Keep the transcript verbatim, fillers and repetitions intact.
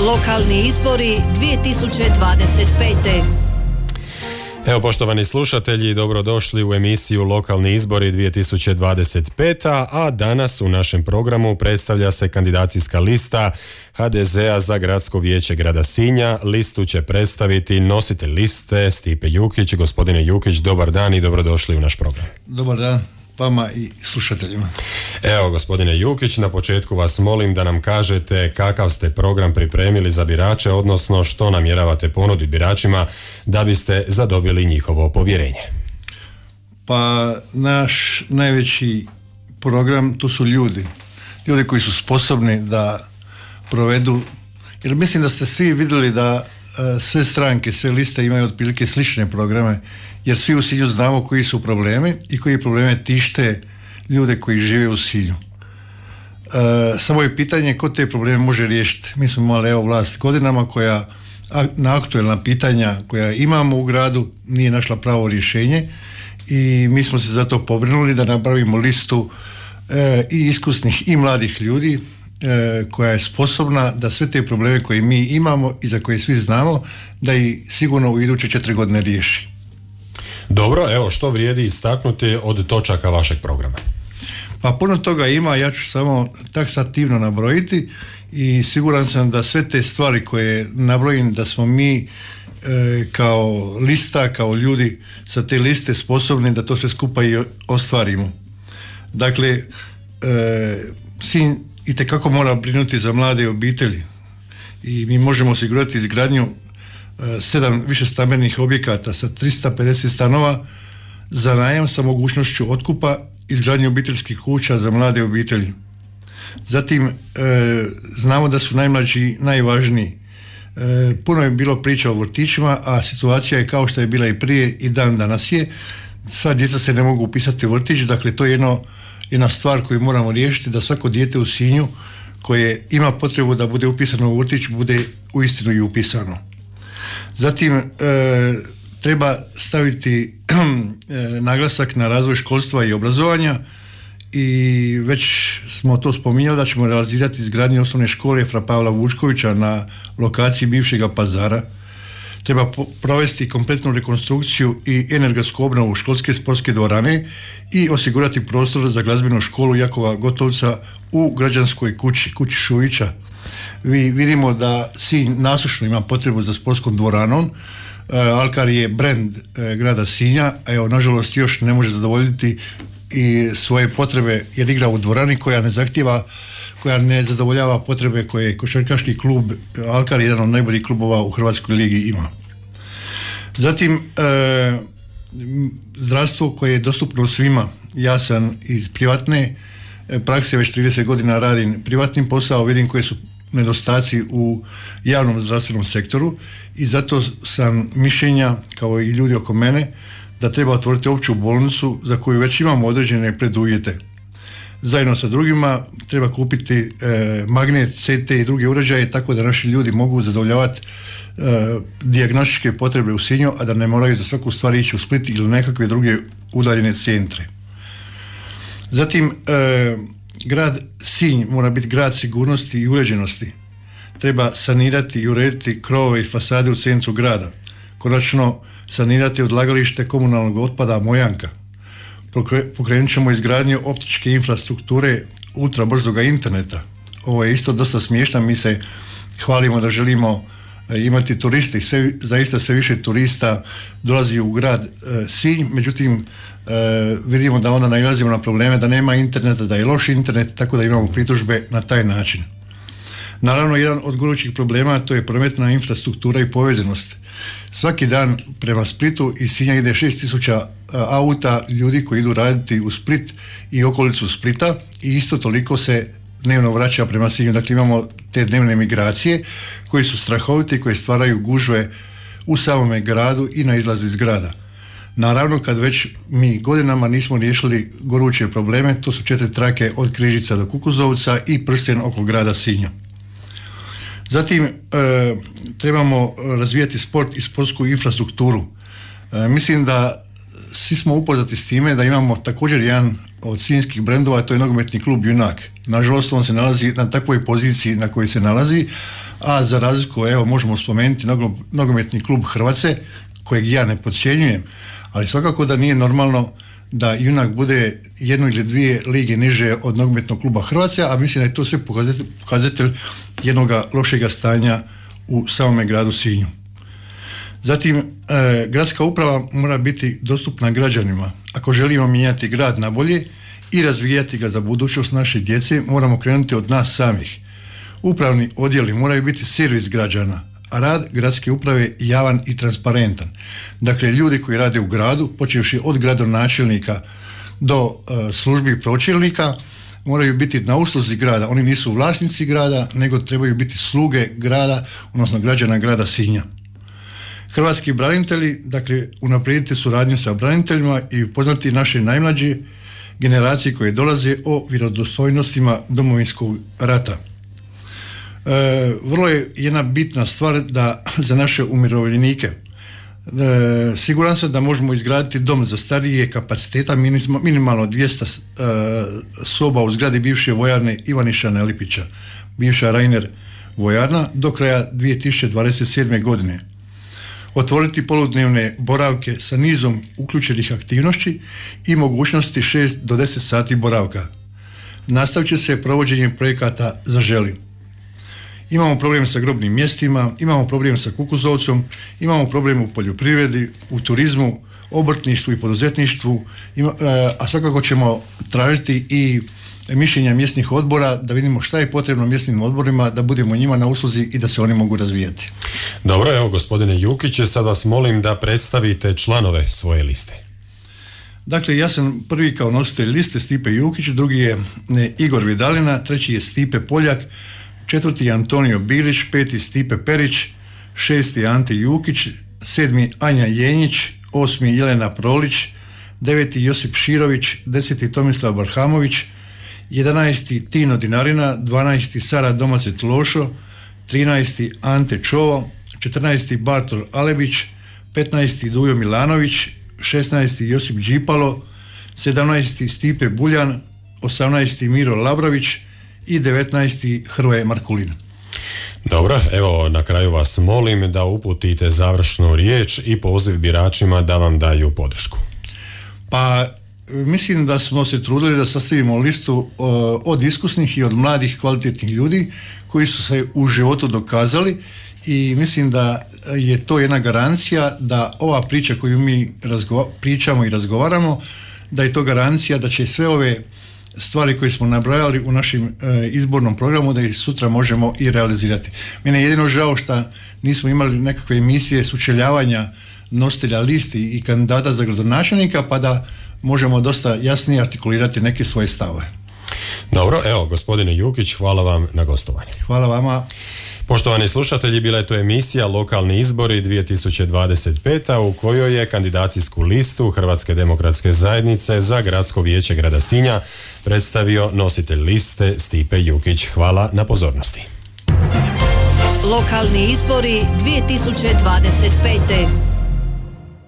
Lokalni izbori dvije tisuće dvadeset pete. Evo, poštovani slušatelji, dobrodošli u emisiju Lokalni izbori dvije tisuće dvadeset pete. a danas u našem programu predstavlja se kandidacijska lista ha de zea za gradsko vijeće grada Sinja. Listu će predstaviti nositelj liste Stipe Jukić. Gospodine Jukić, dobar dan i dobrodošli u naš program. Dobar dan vama i slušateljima. Evo, gospodine Jukić, na početku vas molim da nam kažete kakav ste program pripremili za birače, odnosno što namjeravate ponuditi biračima da biste zadobili njihovo povjerenje. Pa naš najveći program, to su ljudi. Ljudi koji su sposobni da provedu, jer mislim da ste svi vidjeli da sve stranke, sve liste imaju otprilike slične programe, jer svi u Sinju znamo koji su problemi i koji probleme tište ljude koji žive u Sinju. E, samo je pitanje ko te probleme može riješiti. Mi smo imali evo vlast godinama koja na aktuelna pitanja koja imamo u gradu nije našla pravo rješenje i mi smo se zato pobrinuli da napravimo listu e, i iskusnih i mladih ljudi e, koja je sposobna da sve te probleme koje mi imamo i za koje svi znamo da ih sigurno u iduće četiri godine riješi. Dobro, evo što vrijedi istaknuti od točaka vašeg programa? Pa puno toga ima, ja ću samo taksativno nabrojiti i siguran sam da sve te stvari koje nabrojim da smo mi e, kao lista, kao ljudi sa te liste sposobni da to sve skupa i ostvarimo. Dakle, e, Sinj itekako mora brinuti za mlade obitelji i mi možemo osigurati izgradnju sedam više stambenih objekata sa tristo pedeset stanova za najam sa mogućnošću otkupa, izgradnje obiteljskih kuća za mlade obitelji. Zatim e, znamo da su najmlađi najvažniji. E, puno je bilo priča o vrtićima, a situacija je kao što je bila i prije i dan danas je. Sva djeca se ne mogu upisati u vrtić, dakle to je jedno, jedna stvar koju moramo riješiti, da svako dijete u Sinju koje ima potrebu da bude upisano u vrtić bude uistinu i upisano. Zatim e, treba staviti e, naglasak na razvoj školstva i obrazovanja i već smo to spominjali da ćemo realizirati izgradnju osnovne škole Fra Pavla Vučkovića na lokaciji bivšega Pazara. Treba po- provesti kompletnu rekonstrukciju i energetsku obnovu školske sportske dvorane i osigurati prostor za glazbenu školu Jakova Gotovca u građanskoj kući, kući Šujića. Vi vidimo da Sinj nasušno ima potrebu za sportskom dvoranom. E, Alkar je brend e, grada Sinja, a evo nažalost još ne može zadovoljiti i svoje potrebe jer igra u dvorani koja ne zahtjeva, koja ne zadovoljava potrebe koje košarkaški klub Alkar, jedan od najboljih klubova u Hrvatskoj ligi, ima. Zatim e, zdravstvo koje je dostupno svima. Ja sam iz privatne prakse, već trideset godina radim privatnim posao, vidim koje su nedostaci u javnom zdravstvenom sektoru i zato sam mišljenja, kao i ljudi oko mene, da treba otvoriti opću bolnicu za koju već imamo određene preduvjete. Zajedno sa drugima treba kupiti e, magnet, ce te i druge uređaje tako da naši ljudi mogu zadovoljavati e, dijagnostičke potrebe u Sinju, a da ne moraju za svaku stvar ići u Split ili nekakve druge udaljene centre. Zatim, e, grad Sinj mora biti grad sigurnosti i uređenosti. Treba sanirati i urediti krovove i fasade u centru grada. Konačno, sanirati odlagalište komunalnog otpada Mojanka. Pokrenut ćemo izgradnju optičke infrastrukture ultra brzoga interneta. Ovo je isto dosta smiješno, mi se hvalimo da želimo imati turiste i sve, zaista sve više turista dolazi u grad e, Sinj, međutim e, vidimo da onda nailazimo na probleme da nema interneta, da je loš internet, tako da imamo pritužbe na taj način. Naravno, jedan od gorućih problema to je prometna infrastruktura i povezanost. Svaki dan prema Splitu iz Sinja ide šest tisuća auta ljudi koji idu raditi u Split i okolicu Splita i isto toliko se dnevno vraća prema Sinju. Dakle, imamo te dnevne migracije koje su strahovite i koje stvaraju gužve u samome gradu i na izlazu iz grada. Naravno, kad već mi godinama nismo riješili goruće probleme, to su četiri trake od Križica do Kukuzovca i prsten oko grada Sinja. Zatim, e, trebamo razvijati sport i sportsku infrastrukturu. E, mislim da svi smo upoznati s time da imamo također jedan od sinjskih brendova, to je nogometni klub Junak. Nažalost, on se nalazi na takvoj poziciji na kojoj se nalazi, a za razliku, evo, možemo spomenuti nogometni klub Hrvace, kojeg ja ne podcjenjujem, ali svakako da nije normalno da Junak bude jednu ili dvije lige niže od nogometnog kluba Hrvace, a mislim da je to sve pokazatelj, pokazatelj jednog lošega stanja u samome gradu Sinju. Zatim, e, gradska uprava mora biti dostupna građanima. Ako želimo mijenjati grad na bolje i razvijati ga za budućnost naše djece, moramo krenuti od nas samih. Upravni odjeli moraju biti servis građana, a rad gradske uprave javan i transparentan. Dakle, ljudi koji rade u gradu, počevši od gradonačelnika do uh, službi pročelnika, moraju biti na usluzi grada. Oni nisu vlasnici grada, nego trebaju biti sluge grada, odnosno građana grada Sinja. Hrvatski branitelji, dakle, unaprijediti suradnju sa braniteljima i upoznati naše najmlađe generacije koje dolaze o vjerodostojnostima Domovinskog rata. E, vrlo je jedna bitna stvar da za naše umirovljenike. E, siguran sam da možemo izgraditi dom za starije kapaciteta minimalno dvjesto e, soba u zgradi bivše vojarne Ivaniša Nelipića, bivša Rainer vojarna, do kraja dvije tisuće dvadeset sedme. godine. Otvoriti poludnevne boravke sa nizom uključenih aktivnosti i mogućnosti šest do deset sati boravka. Nastavit će se provođenjem projekata Zaželi. Imamo problem sa grobnim mjestima, imamo problem sa Kukuzovcom, imamo problem u poljoprivredi, u turizmu, obrtništvu i poduzetništvu, ima, a svakako ćemo tražiti i mišljenja mjesnih odbora da vidimo šta je potrebno mjesnim odborima, da budemo njima na usluzi i da se oni mogu razvijati. Dobro, evo gospodine Jukić, sad vas molim da predstavite članove svoje liste. Dakle, ja sam prvi kao nositelj liste Stipe Jukić, drugi je Igor Vidalina, treći je Stipe Poljak, četvrti je Antonio Bilić, peti Stipe Perić, šesti Ante Jukić, sedmi Anja Jenjić, osmi Jelena Prolić, deveti Josip Širović, deseti Tomislav Barhamović, jedanaesti Tino Dinarina, dvanaesti Sara Domacet Lošo, trinaesti Ante Čovo, četrnaesti Bartol Alebić, petnaesti Dujo Milanović, šesnaesti Josip Đipalo, sedamnaesti Stipe Buljan, osamnaesti Miro Labrović i devetnaesti Hrvoje Markulin. Dobro, evo na kraju vas molim da uputite završnu riječ i poziv biračima da vam daju podršku. Pa mislim da smo se trudili da sastavimo listu od iskusnih i od mladih kvalitetnih ljudi koji su se u životu dokazali i mislim da je to jedna garancija da ova priča koju mi razgova- pričamo i razgovaramo, da je to garancija da će sve ove stvari koje smo nabrojali u našem e, izbornom programu da ih sutra možemo i realizirati. Mene je jedino žao što nismo imali nekakve emisije sučeljavanja nositelja listi i kandidata za gradonačelnika pa da možemo dosta jasnije artikulirati neke svoje stavove. Dobro, evo gospodine Jukić, hvala vam na gostovanju. Hvala vama. Poštovani slušatelji, bila je to emisija Lokalni izbori dvije tisuće dvadeset peta u kojoj je kandidacijsku listu Hrvatske demokratske zajednice za gradsko vijeće grada Sinja predstavio nositelj liste Stipe Jukić. Hvala na pozornosti. Lokalni izbori dvije tisuće dvadeset pete.